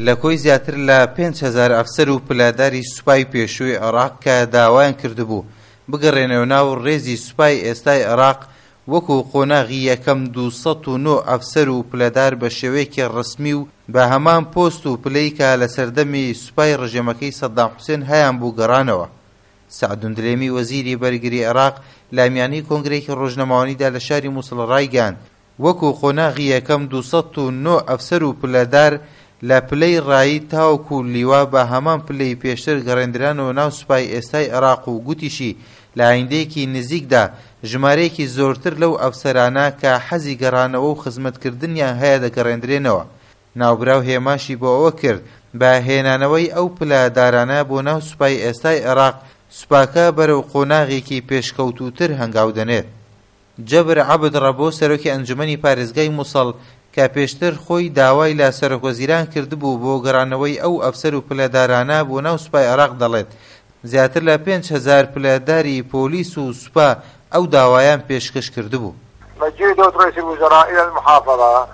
لە کۆی زیاتر لە 5000 ئەفسەر و پلەداری سوپای پێشووی عێراق کە داوایان کردبوو بگەڕێنەوە ناو ڕێزی سوپای ئێستای عێراق وەکو قۆناغی یەکەم 209 ئەفسەر و پلەدار بە شێوەیەکی ڕەسمی و بە هەمان پۆست و پلەی کە لە سەردەمی سوپای ڕژێمەکەی سەدام حوسێن هەیانبوو گەڕانەوە. سەعدون دلێمی وەزیری بەرگری عێراق لە میانەی کۆنگرەیەکی ڕۆژنامەوانیدا لە شاری موسڵ ڕایگەیاند، وەکو قۆناغی یەکەم 209 ئەفسەر و پلەدار لە پلەی ڕائید تاوەکو لیوا بە هەمان پلەی پێشتر گەڕێندرانەوە ناو سوپای ئێستای عێراق و گوتیشی لە ئایندەیەکی نزیکدا ژمارەیەکی زۆرتر لەو ئەفسەرانە کە حەزی گەڕانەوە و خزمەتکردنیان هەیە دەگەڕێندرێنەوە. ناوبراو هێماشی بۆ ئەوە کرد بە هێنانەوەی ئەو پلەدارانە بۆ ناو سوپای ئێستای عێراق سوپاکە بەرەو قۆناغێکی پێشکەوتووتر هەنگاو دەنێت. جەبر عەبد ڕەبۆ سەرۆکی ئەنجومەنی پارێزگای موسڵ کە پێشتر خۆی داوای لە سەرۆکوەزیران کردبوو بۆ گەڕانەوەی ئەو ئەفسەر و پلەدارانە بۆ ناو سوپای عێراق دەڵێت زیاتر لە 5000 پلەداری پۆلیس و سوپا ئەو داوایان پێشکەش کردبوو. مجيء دولة رئيس الوزراء إلى المحافظة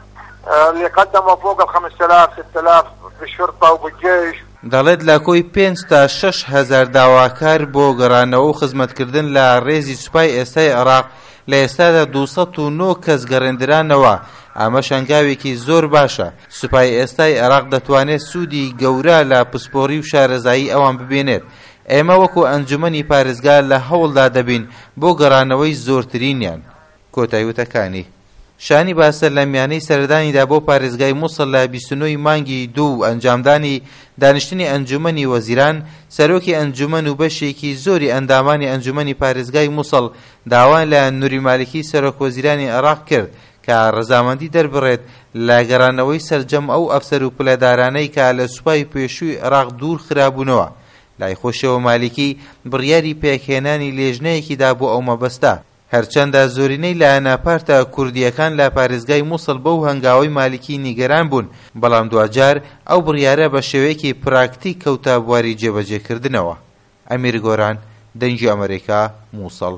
اللي قدموا فوق ال 5000 6000 بالشرطة وبالجيش. دەڵێت لە کۆی پێنج تا 6000 داواکار بۆ گەڕانەوە و خزمەتکردن لە ڕێزی سوپای ئێستای عێراق لە ئێستادا 209 کەس گەڕێندرانەوە، ئەمەش هەنگاوێکی زۆر باشە، سوپای ئێستای عێراق دەتوانێت سوودی گەورە لە پسپۆڕی و شارەزایی ئەوان ببینێت، ئێمە وەکو ئەنجومەنی پارێزگا لە هەوڵدا دەبین بۆ گەڕانەوەی زۆرترینیان. کۆتای وتەکانی. شانی باسە لە میانەی سەردانیدا بۆ پارێزگای موسڵ لە 29 ی مانگی دوو و ئەنجامدانی دانیشتنی ئەنجومەنی وەزیران، سەرۆکی ئەنجومەن و بەشێکی زۆری ئەندامانی ئەنجومەنی پارێزگای موسڵ داوایان لە نوری مالکی سەرۆک وەزیرانی عێراق کرد کە ڕەزامەندی دەربڕێت لە گەڕانەوەی سەرجەم ئەو ئەفسەر و پلەدارانەی کە لە سوپای پێشووی عێراق دوور خرابوونەوە. لای خۆشیەوە مالیکی بڕیاری پێکهێنانی لێژنەیەکی دا بۆ ئەو مەبەستە. هەرچەندە زۆرینەی لایەنە پارتە کوردییەکان لە پارێزگای موسڵ بەو هەنگاوەی مالیکی نیگەران بوون، بەڵام دواجار ئەو بڕیارە بە شێوەیەکی پراکتیک کەوتە بواری جێبەجێکردنەوە. ئەمیر گۆران، دەنگی ئەمەریکا، موسڵ.